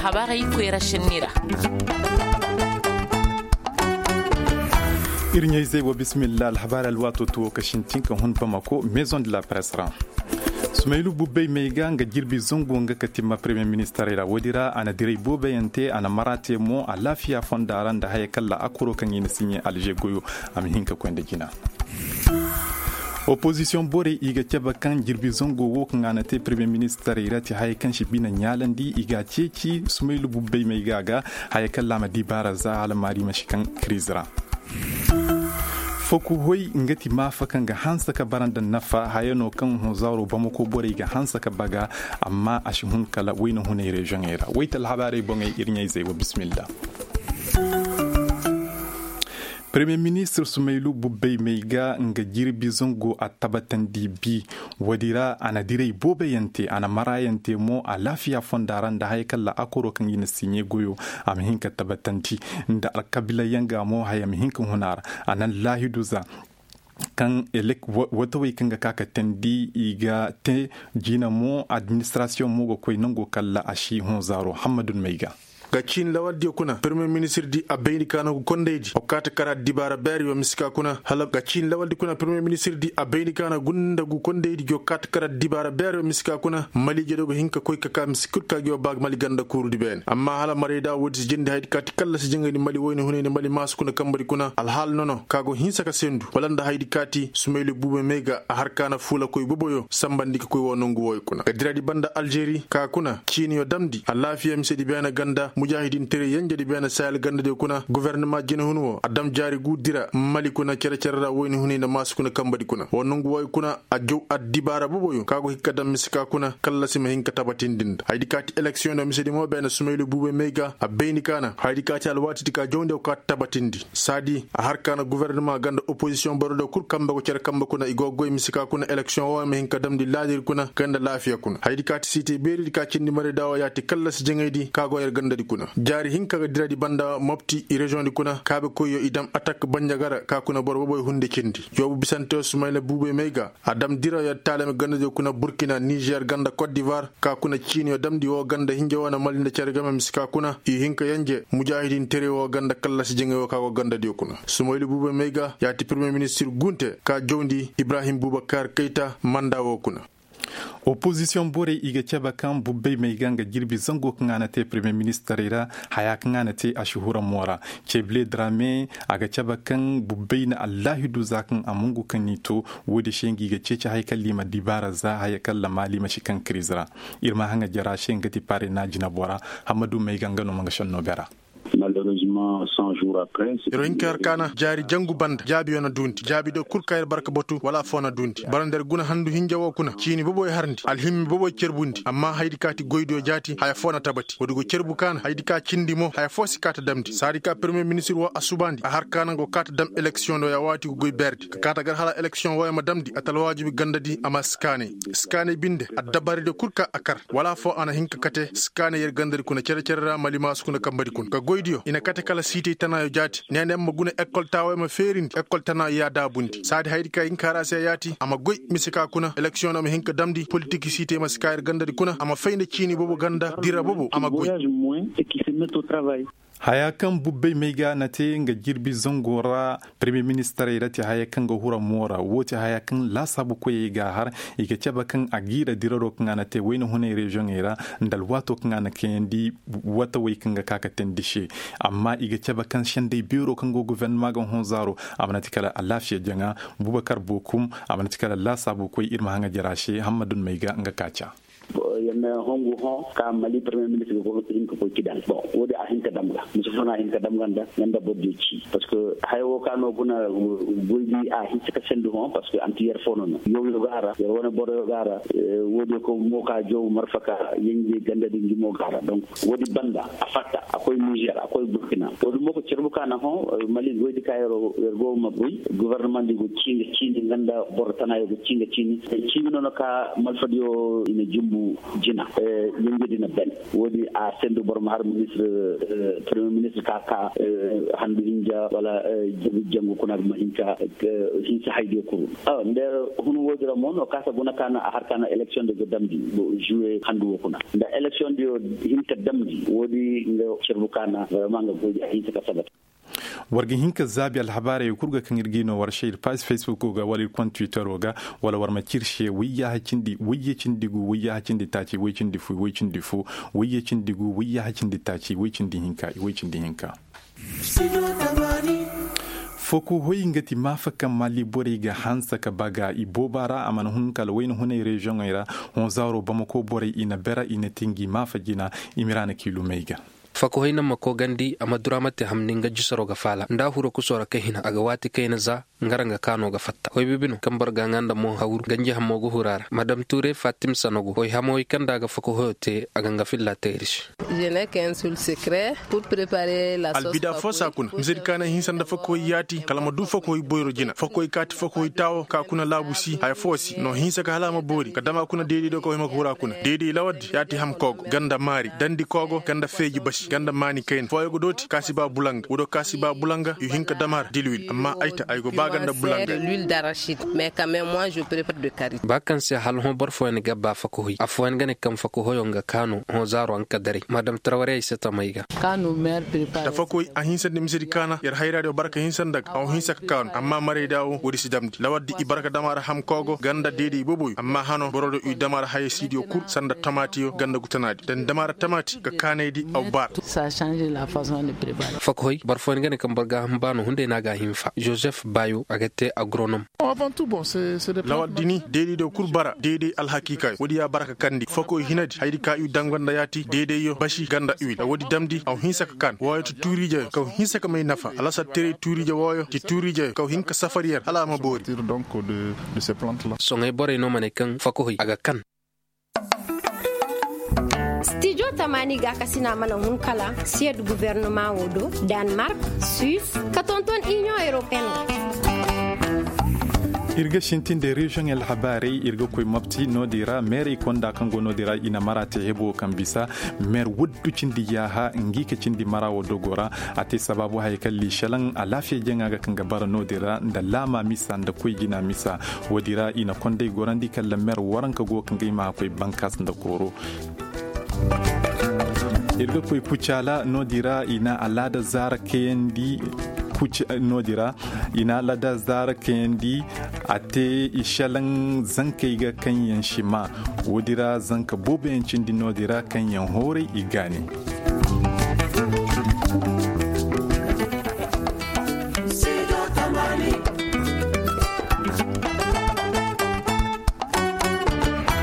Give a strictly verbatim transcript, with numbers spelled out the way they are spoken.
Alhabaarey koyra senni ra. Ir ɲayzey wa bismillah alhabaarey alwaato tuwo ka sintin ka hun bamako maison de la presse ra. Sumaylu bubbey may ga nga jirbi zango nga ka timma premier ministerey ra woodi ra a na direy booboyaŋ te a na mara te mo alaafiya fonda ra nda haya kalla akoro kaŋ i na siɲe alže goyo. A ma hin ka koy nda jina. Opozisiyoŋ borey i ga cabe kaŋ jirbi zango wo kaŋ a na te premier ministerey ra ti haya kaŋ si bine ɲaalandi i ga a ceeci sumaylu bubbey may ga a ga. Haya kalla a ma dibaara za hala maari ma si kaŋ kiriiz ra. Fokuhoy nga ti maafa kaŋ ga hanse ka bara nda nafa haya no kaŋ hunzaaro bamako borey ga hanse ka baga. Amma a si hun kala wayna hunay reziyoŋey ra wayta alhabaarey boŋey ir ɲayzey wa bismillah. Premier ministir sumaylu bubbey may ga nga jirbi zango a tabatandi bi. Woodi ra a na direy booboyaŋ te a na marayaŋ te mo alaafiya fonda ra nda haya kalla akoro kaŋ i na siɲe goyo. A ma hin ka tabatandi nda alkabilayaŋ ga mo haya ma hin ka hun a ra. A na laahidu za kaŋ elek watawey kaŋ ga ka ka teendi i ga te. Jina mo administrasiyoŋ mo ga koy nango kalla a si hunzaaro hammadun may ga. Ga ciini lawaldiyo kuna premier ministirdi a bayndi ka na gu kondaydi wa kaati kara dibaara beeriyo misi ka kuna hala ga ciini lawaldi kuna premier ministirdi a bayndi ka na gunda gu kondaydi gi wa kaati kara dibaara beeriyo misi ka kuna maliijediyo ga hin ka koy ka ka misi kul ka gi wa ba mali ganda kuurudi beene amma hala marayda woodi si jindi haydi kaati kalla si jaŋaydi mali woyne hunayni mali maasu kuna kambadi kuna alhaala nono ka go hinsa ka sendu wala nda haydi kaati sumayli buuba may ga a har ka na fuulakoy boboyo sambandi ka koy woo nongu wooyo kuna ga diradi banda aljeri ka kuna ciiniyo damndi alaafiya misedi beene ganda mujaahidin tere yenjedi beene sahel gandadiyo kuna gofornama jinahun woo a dam jaari guu dira mali kuna cere-cere ra woyni hunay nda maasu kuna kambadi kuna woo nongu wooyo kuna a jow addibaara boboyo ka go hin ka dam mise ka kuna kallasi ma hin ka tabatindi nda haydi kaati eleksiyoŋ nda misedi mo beene sumaylu buuba may ga a bayndi ka na haydi kaati alwaatidi ka jawndi woo ka tabatindi saadi a har ka na gofornama ganda opozisiyoŋ borodiyo kul kambe go cere kambe kuna i go goy mise ka kuna eleksiyoŋ wooyo ma hin ka damndi laadiri kuna kay nda laafiya kuna haydi kaati siitey beeridi ka cindi marayda woo yaati kallasi jaŋaydi ka go yer gandadi kuna jaari hinka ga diradi banda mopti i reziyoŋdi kuna kaabekoyyo i dam atak banjaga ra ka kuna boro boboy hunde cindi yoobu bisanteyo sumayla buubey may ga a dam dirayo taalami gandadiyo kuna burkina nizer ganda kot divoir ka kuna ciiniyo damndi woo ganda hinja woo na mali nda cere game mise ka kuna i hinka yenje mujaahidin tere woo ganda kallasi jaŋay woo ka go gandadiyo kuna sumayla buubey may ga yaati premier ministir gunte ka jawndi ibrahim bubakar kayta manda woo kuna. Opozisiyoŋ borey i ga cabe kaŋ bubbey may ga nga jirbi zango kaŋ a na te premier ministerey ra haya kaŋ a na te a si hura mo ra. Cebile drame a ga cabe kaŋ bubbey na allaahidu za kaŋ a mungu kaŋ ni to. Woodi se nga i ga ceeci haya kaŋ liima dibaara za haya kaŋ lamaali ma si kaŋ kiriz ra. Ir ma haŋa jara se nga ti pare na jinabo ra. Hammadu may ga nga no ma nga senno bera. Yer wo hinka yer kaana jaari jangu banda jaabiyo na duundi jaabidiyo kul kaŋ yer barka batu wala affoo na duundi bara nda yer guna handu hinja woo kuna ciini boboy harndi alhimmi boboy cerbundi amma hayadi ka ti goydiyo jaati haya foo na tabati woodi go cerbu kaana hayadi ka cindi mo haya foo si kaa ta damndi saadi ka permiye ministir woo a subaandi a har kaana go kaa ta dam eleksiyoŋ do ya waati go goy beerdi ka kaa ta gar hala eleksiyoŋ wooyo ma damndi a ta alwaajibi gandadi a ma si kaanay si kaanay binde addabaaridiyo kul ka a kar wala affoo a na hin ka kate si kaanay yer gandadi kuna cere-cere ra malimaasu kuna kambadi kuna ka goydiyo i na kate kala siitey tanaayo jaati neena yer ma guna ekol taaway ma feerindi ekol tanaayo ya daabundi saadi hayadi ka hin ka har a se yaati a ma goy mise ka kuna eleksiyoŋ no a ma hin ka damndi politik siitey ma si kaa yer gandadi kuna a ma fay nda ciini boobo ganda dira boobo a ma goy. Haya kaŋ bubbey may ga na te nga jirbi zango ra permiye ministarey ra ti haya kaŋ ga hura mo ra woo ti haya kaŋ laasaabu koyey ga a har i ga cabe kaŋ a giira diraro kaŋ a na te wayna hunay reziyoŋey ra nda alwaato kaŋ a na kayandi watawey kaŋ ga ka ka teendi se. Amma i ga cabe kaŋ sendey beero kaŋ go gofornama ga hõ zaaro a mana ti kala alaafiya jaŋa bubakar bookum a mana ti kala laasaabu koy ir ma haŋa jara se hammadun may ga nga kaaca. Yer na hongu hõ ka mali permiye ministir ga hin ka koy ci daŋ bon woodi a hin ka dam ga mise fo no a hin ka dam ga nda nga nda bordiyo ci parceque haya woo ka no guna goydi a hinse ka sendi hõ parceque anti yer fo no no yooyo ga a ra yer wane boroyo ga a ra woodiyo ka mo ka jow marfa ka yenje gandadi ngi mo ga a ra donc woodi banda a fatta a koy nizer a koy burkina woodi mo ka cerbu ka na hõ mali goydi ka yer go ma goy gofornamandi go ciini ciini nga nda boro tanaayo go ciini ciini ciini no no ka malfadiyo i na jumbu. Jina, yenje din a ban. Woodin a sendu boro ma har ministir, premier ministir ka ka handu hinja wala jangu kuna ga ma hin ka hinsa haydiyo kuru. Nda hun woodin ra mo no kaasa guna kaana a har kaana eleksiyoŋ din ga damndi, juwe handu wo kuna nda eleksiyoŋ diyo hin ka damndi woodin nga carbu kaana barama nga goy a hinsa ka sabata. War ga hin ka zaabi alhabaarey kul ga kaŋ ir g'i no war se ir paaz facebook ga wala ir kont twittero ga, wala war ma cir se wayyaha cindi wayye cindi gu wayyaha cindi taaci way cindi fu way cindi fu wayye cindi gu wayyaha cindi taaci way cindi hinka way cindi hinka. Fokohoy nga ti maafa kaŋ maali borey ga hanse ka baga i booba ra a mana hun kala wayna hunay reziyoŋey ra. Hõ zaaro bamako borey i na bera i na ti ngi maafa jina. Imiraana kiilumey ga. Fakohoy na ma koogandi a ma dura ma te hamni nga jusaro ga faala nda a huro kusoo ra ka hina a ga waati kayna za. Nga ra nga kaano ga fatta hoy bibi no kaŋ boro ga ŋaa nda mo hawru ganji hamo ga huru a ra madam tuure fatim sanogo hoy hamoy kaŋ nda a ga fakohoyo te a ga nga filla teeri se. Albida fo saa kuna misedi kaanay hinsa nda fakohoy yaati kala ma du fakohoy boyro jina fakohoy kaati fakohoy taawo ka kuna laabu si haya fo si no hinsa ka hala a ma boori ka dama kuna deedey do ka way ma ka hura kuna deedey lawardi yaati ham koogo ganda maari dandi koogo ganda feeji basi ganda maani kayna fooyo ga dooti kaasi ba bulanga wudo kaasi ba bulanga i hin ka dama har dilwil amma ay ta ay go ba ganda bulanga. Ba kaŋ se hala hõ boro fooyaŋ ga ba fakohoy afooyaŋ ga ne kaŋ fakohoyo nga kaanu hõ zaaro a nga ka daray madam tarawarey se tamey ga. Tafakoy a hinsa nda misedi kaana yer hayra diyo barka hinsa nda ga a wo hinsa ka kaanu amma marayda wo woodi si damndi lawardi i barka dama ra hamkoogo ganda deede i boboyo amma hano boro do i dama ra hayey siidiyo kul sanda tamaatiyo ganda gutanaadi dan dama ra tamaati ga kaanaydi a wo baara. Fakoy boro fooyaŋ ga ne kaŋ boro ga a hamba no hunday no a ga a hinfa joseph baayo a ga te agronom. Lawardi ni deede diyo kul bara deede alhakiikaayo woodi ya bara ka kandi fakoy hinadi hayadi ka i danganda yaati deedeyyo basi ganda iwil a woodi damndi a wo hinsa ka kaan wooyo ti tuuriijeyo kaw hinsa ka may nafa alasar teray tuuriije wooyo ti tuuriijeyo kaw hin ka safar yer hala a ma boori. Soŋay borey no ma ne kaŋ fakohoy a ga kan. Stijo tamaani gaakasina mana hun kala siyed guvernoma wo do, danmark, suis, ka tonton inion europeen wo. Ir ga sintin de reziyoŋ alhabaarey ir ga koy mopti no-din ra meerey konda kaŋ go no-din ra i na mara te hebo kaŋ bisa meer waddu cindi yaaha ngi ka cindi mara wo dogo ra. A te sabaabu haya kaŋ liisalaŋ alaafiya jaŋa ga kaŋ ga bara no-din ra nda laama misa nda koy jina misa. Wo-din ra i na konday gorandi kala meer waranka go kaŋ ga i ma a koy bankaas nda kooro. Ir ga koy kucaala no-din ra i na alaada zaara kayandi. No-din ra i na alaada zaara kayandi. A te i šelaŋ zankey ga kaŋ yaŋ si maa. Wo-din ra zanka boobo yaŋ cindi no-din ra kaŋ yaŋ hooray i gaani.